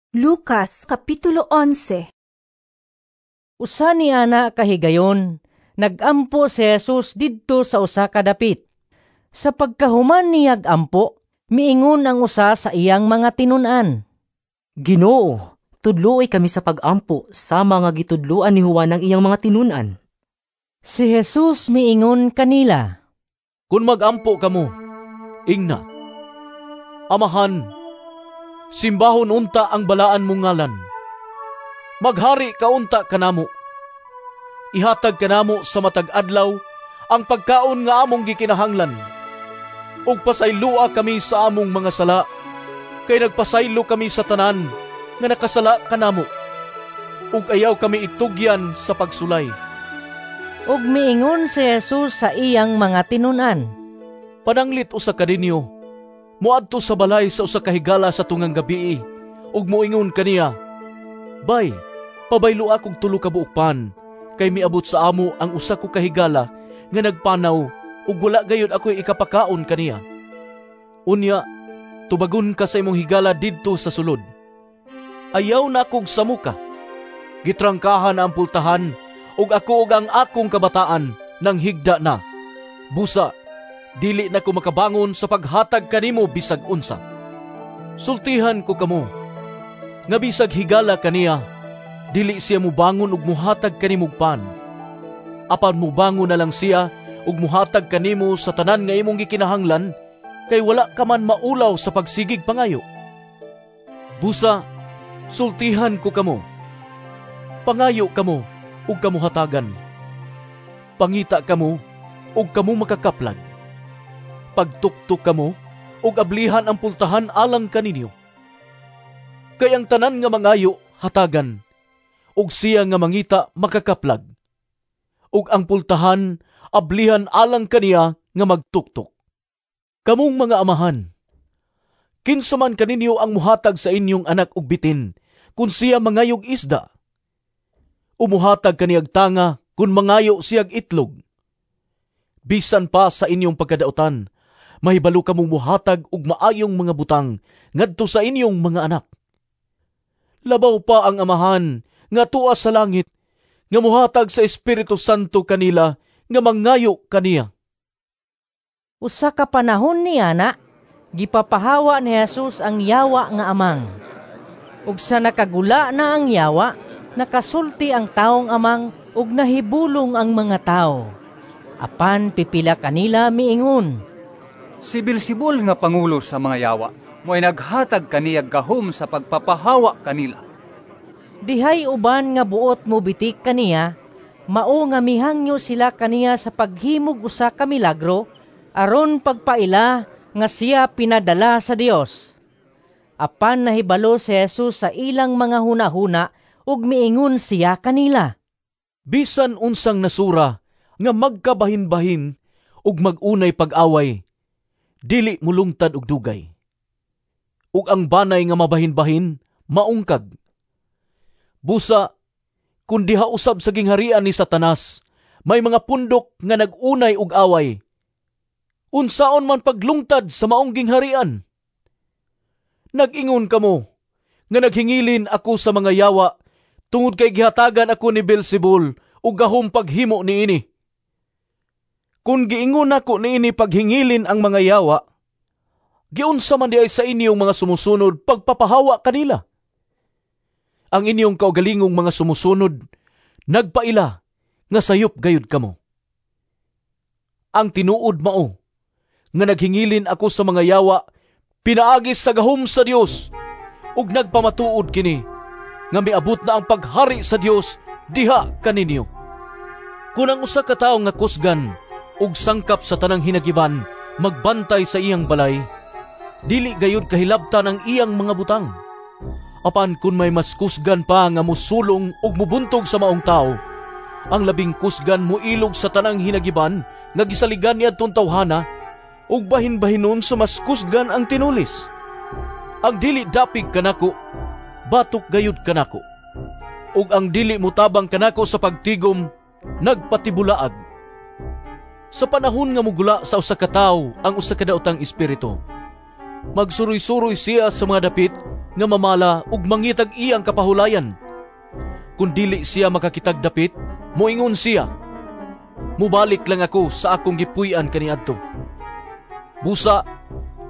Lucas Kapitulo 11. Usa ni ana kahigayon, nagampo si Jesus didto sa usa ka dapit. Sa pagkahuman niyag ampo, miingon ang usa sa iyang mga tinun-an. Ginoo, tudloi kami sa pag-ampo sama nga gitudloan ni Juan ang iyang mga tinun-an. Si Jesus miingon kanila, "Kung mag-ampo kamo, ingna: Amahan, simbahon unta ang balaan mong ngalan. Maghari ka unta kanamo. Ihatag kanamo sa matag adlaw ang pagkaon nga among gikinahanglan. Ug pasayloa kami sa among mga sala, kay nagpasaylo kami sa tanan nga nakasala kanamo. Ug ayaw kami itugyan sa pagsulay." Ug miingon si Jesus sa iyang mga tinun-an, "Pananglit usa ka ninyo moadto sa balay sa usa ka higala sa tungang gabii ug moingon kaniya, 'Bay, pabayloa kog 3 ka buok pan, kay miabot sa amo ang usa ko ka higala nga nagpanaw ug wala gayud ako'y ikapakaon kaniya.' Unya, tubagon ka sa imong higala didto sa sulod, 'Ayaw na kog samuka. Gitrangkahan na ang pultahan ug ako ug ang akong kabataan nang higda na. Busa, dili na ko makabangon sa paghatag kanimo bisag unsa.' Sultihan ko kamo, nga bisag higala kaniya, dili siya mubangon ug muhatag kanimog pan. Apan mubangon na lang siya ug muhatag kanimo sa tanan nga imong gikinahanglan, kay wala ka man maulaw sa pagsigig pangayo. Busa, sultihan ko kamo, pangayo kamo ug kamo hatagan. Pangita kamo ug kamo makakaplag. Pagtuktok kamo ug ablihan ang pultahan alang kaninyo. Kay ang tanan nga mangayo hatagan, ug siya nga mangita makakaplag. Ug ang pultahan ablihan alang kaniya nga magtuktok. Kamong mga amahan, kinsa man kaninyo ang muhatag sa inyong anak og bitin kung siya mangayog isda? O muhatag kaniyag tanga kung mangayo siyag itlog? Bisan pa sa inyong pagkadautan, mahibalo kamong muhatag og maayong mga butang ngadto sa inyong mga anak. Labaw pa ang Amahan nga tuwa sa langit, nga muhatag sa Espiritu Santo kanila nga mangayo kaniya." Usa ka panahon niya na, gipapahawa ni Jesus ang yawa nga amang. Ug sa nakagula na ang yawa, nakasulti ang taong amang ug nahibulong ang mga tao. Apan pipila kanila miingon, "Si Beelzebul nga pangulo sa mga yawa, mo'y naghatag kaniyag gahom sa pagpapahawa kanila." Dihay uban nga buot mo bitik kaniya, mao nga mihangyo sila kaniya sa paghimog usa ka milagro aron pagpaila nga siya pinadala sa Dios. Apan nahibalo si Jesus sa ilang mga hunahuna ug miingon siya kanila, "Bisan unsang nasura nga magkabahin-bahin ug mag-unay pag-away, dili mulungtad og dugay. Ug ang banay nga mabahin-bahin maungkag. Busa, kun diha usab sa gingharian ni Satanas may mga pundok nga nag-unay og away, unsaon man paglungtad sa maong gingharian? Nag-ingon kamo nga naghingilin ako sa mga yawa tungod kay gihatagan ako ni Beelzebul og gahom paghimo niini. Kun giingon nako niini paghingilin ang mga yawa, giunsa man diay sa inyong mga sumusunod pagpapahawa kanila? Ang inyong kaugalingong mga sumusunod nagpaila nga sayop gayud kamo. Ang tinuod mao nga naghingilin ako sa mga yawa pinaagi sa gahom sa Dios, ug nagpamatuod kini nga miabot na ang paghari sa Dios diha kaninyo. Kun ang usa ka tawo nga kusgan ug sangkap sa tanang hinagiban magbantay sa iyang balay, dili gayud kahilabtan ang iyang mga butang. Apan kun may mas kusgan pa nga musulong ug mubuntog sa maong tawo, ang labing kusgan moilog sa tanang hinagiban nga gisaligan niadtong tawhana, ug bahin-bahinon sa mas kusgan ang tinulis. Ang dili dapig kanako, batok gayud kanako. Ug ang dili mutabang kanako sa pagtigom, nagpatibulaag. Sa panahon nga mugula sa usa ka tawo ang usa ka daotang espiritu, magsuroy-suroy siya sa mga dapit nga mamala ug mangitag iyang kapahulayan. Kun dili siya makakitag dapit, moingon siya, "Mubalik lang ako sa akong gipuy-an kaniadto." Busa,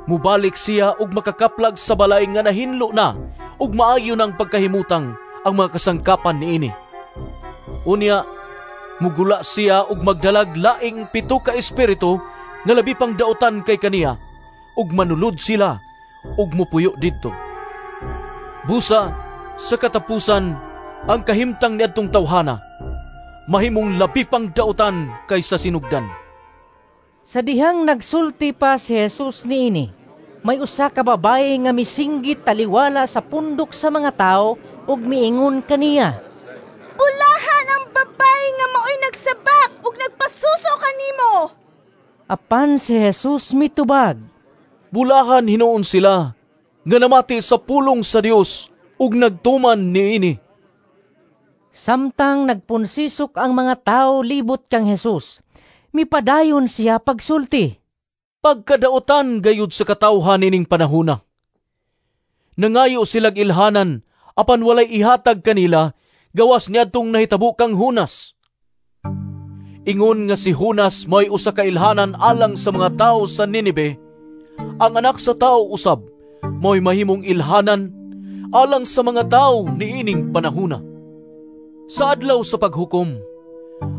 mubalik siya ug makakaplag sa balay nga nahinlo na ug maayo ng pagkahimutang ang mga kasangkapan niini. Unya, mugula siya ug magdalag laing 7 ka espiritu nga labi pang dautan kay kaniya, ug manulod sila ug mupuyo didto. Busa, sa katapusan, ang kahimtang niadtong tawhana mahimong labi pang dautan kaysa sinugdan. Sa dihang nagsulti pa si Jesus niini, may usa ka babaye nga misinggit taliwala sa pundok sa mga tawo ug miingon kaniya, "Bulahan ang babaye nga maoy nagsabak ug nagpasuso kanimo." Apan si Jesus mitubag, "Bulahan hinuon sila nga namati sa pulong sa Dios ug nagtuman niini." Samtang nagpunsisok ang mga tawo libot kang Jesus, mipadayon siya pagsulti. "Pagkadautan gayud sa katawhan ining panahona. Nangayo silag ilhanan, apan walay ihatag kanila, gawas niadtong nahitabo kang Jonas. Ingon nga si Jonas may usa ka ilhanan alang sa mga tawo sa Ninibe, ang anak sa tawo usab mo'y mahimong ilhanan alang sa mga tawo niining panahona. Sa adlaw sa paghukom,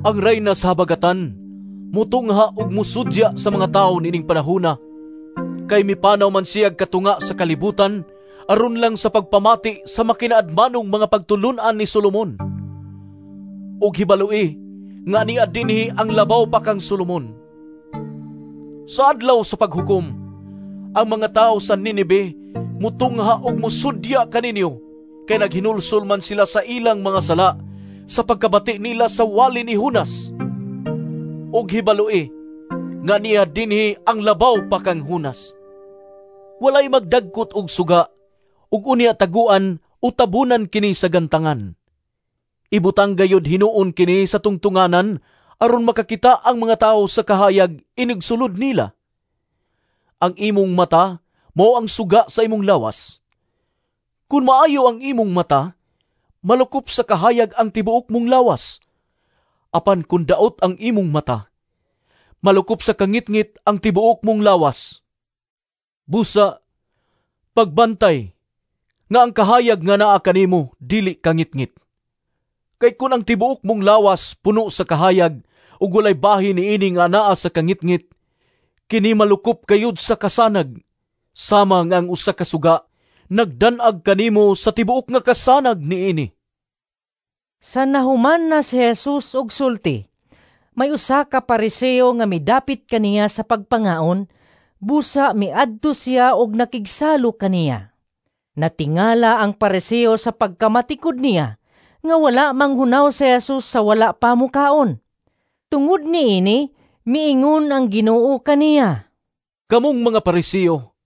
ang rayna sa habagatan mutungha ug musudya sa mga tawo niining panahona, kay mipanaw man siyag katunga sa kalibutan aron lang sa pagpamati sa makinaadmanong mga pagtulun-an ni Solomon. Ug hibaloi nga niya dinhi ang labaw pa kang Solomon. Sa adlaw sa paghukom, ang mga tawo sa Ninibe mutungha ug musudya kaninyo, kay naghinulsol man sila sa ilang mga sala sa pagkabati nila sa wali ni Jonas. Ug hibaloi nga niya dinhi ang labaw pa kang Jonas. Walay magdagkot og suga ug unya taguan o tabunan kini sa gantangan. Ibutang gayud hinuon kini sa tungtunganan aron makakita ang mga tawo sa kahayag inigsulod nila. Ang imong mata mao ang suga sa imong lawas. Kun maayo ang imong mata, malukop sa kahayag ang tibuok mong lawas. Apan kun daot ang imong mata, malukop sa kangitngit ang tibuok mong lawas. Busa, pagbantay nga ang kahayag nga naa kanimo dili kangitngit. Kay kun ang tibuok mong lawas puno sa kahayag ug walay bahin niini nga naa sa kangitngit, kini malukop kayod sa kasanag, sama nga ang usa ka suga nagdan-ag kanimo sa tibuok nga kasanag niini." Sa nahuman na si Jesus og sulti, may usa ka Pariseo nga midapit kaniya sa pagpangaon, busa miadto siya og nakigsalo kaniya. Natingala ang Pariseo sa pagkamatikod niya nga wala manghunaw si Jesus sa wala pa mukaon. Tungod niini, miingon ang Ginoo kaniya, "Kamong mga Pariseo,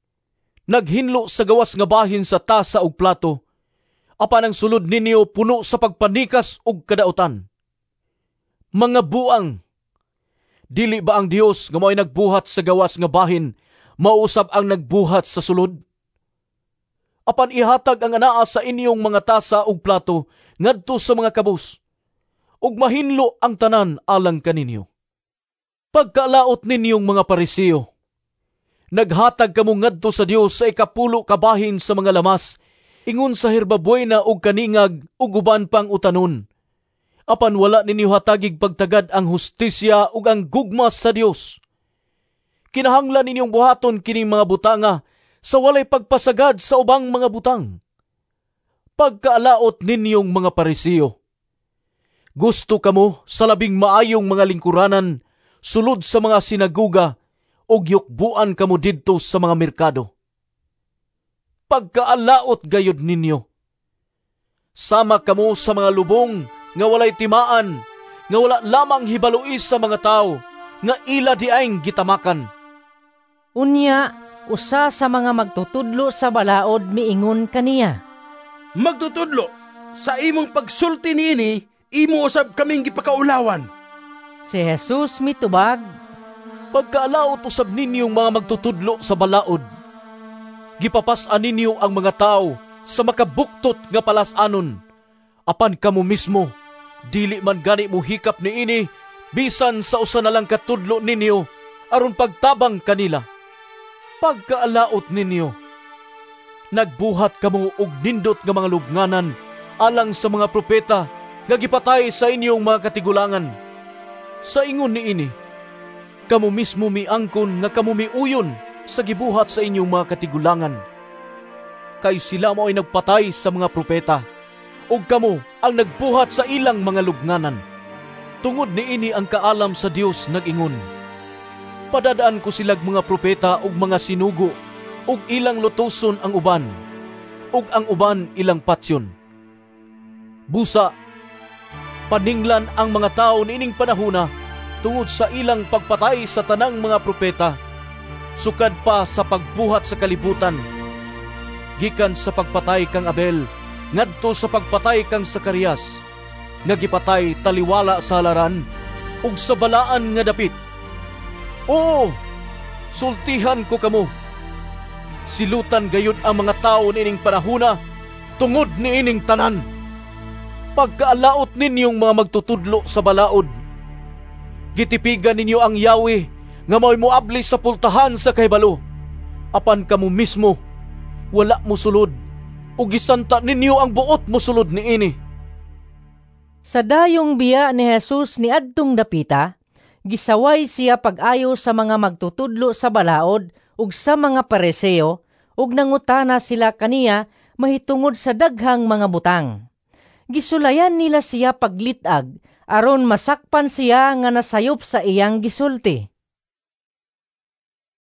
naghinlo sa gawas nga bahin sa tasa ug plato, apan ang sulod ninyo puno sa pagpanikas ug kadautan. Mga buang! Dili ba ang Dios nga mao'y nagbuhat sa gawas nga bahin, mausab ang nagbuhat sa sulod? Apan ihatag ang anaa sa inyong mga tasa ug plato ngadto sa mga kabus, ug mahinlo ang tanan alang kaninyo. Pagkalaot ninyong mga Pariseo, naghatag kamo ngadto sa Dios sa 10 ka bahin sa mga lamas, ingon sa herbabuena ug kaningag ug uban pang utanon. Apan wala ninyo hatagig pagtagad ang hustisya ug ang gugma sa Dios. Kinahanglan ninyong buhaton kining mga butanga sa walay pagpasagad sa ubang mga butang. Pagkaalaot ninyong mga Pariseo, gusto kamo sa labing maayong mga lingkuranan sulod sa mga sinaguga ug yukbuan kamo didto sa mga merkado. Pagkaalaot gayud ninyo, sama kamo sa mga lubong nga walay timaan, nga wala lamang hibaluis sa mga tawo, nga ila diayng gitamakan." Unya, usa sa mga magtutudlo sa balaod miingon kaniya, "Magtutudlo, sa imong pagsulti niini, imo usab kaming gipakaulawan." Si Jesus mitubag, "Pagkaalaot usab ninyong mga magtutudlo sa balaod, gipapas-an ninyo ang mga tao sa makabuktot nga palas-anon. Apan kamo mismo, dili man gani mohikap niini bisan sa usa na lang katudlo ninyo aron pagtabang kanila. Pagkaalaot ninyo! Nagbuhat kamo og nindot nga mga lubnganan alang sa mga propeta nga gipatay sa inyong mga katigulangan. Sa ingon niini, kamo mismo miangkon nga kamo miuyon sa gibuhat sa inyong mga katigulangan. Kay sila mao'y nagpatay sa mga propeta, ug kamo ang nagbuhat sa ilang mga lubnganan. Tungod niini ang kaalam sa Dios nag-ingon, "Padadaan ko silag mga propeta ug mga sinugo, ug ilang lutoson ang uban, ug ang uban ilang patyon." Busa, paninglan ang mga tawo niining panahona tungod sa ilang pagpatay sa tanang mga propeta, sukad pa sa pagbuhat sa kalibutan, gikan sa pagpatay kang Abel ngadto sa pagpatay kang Sakarias, nga gipatay taliwala sa halaran ug sa balaan nga dapit. Oo, sultihan ko kamo, silutan gayud ang mga tawo niining panahona tungod niining tanan. Pagkaalaot ninyong mga magtutudlo sa balaod! Gitipigan ninyo ang yawi nga mao'y moabli sa pultahan sa kahibalo. Apan kamo mismo wala mosulod ug gisanta ninyo ang buot mosulod niini. Sa dayong biya ni Jesus niadtong dapita, gisaway siya pag-ayo sa mga magtutudlo sa balaod ug sa mga Pariseo, ug nangutana sila kaniya mahitungod sa daghang mga butang. Gisulayan nila siya paglit-ag aron masakpan siya nga nasayop sa iyang gisulti.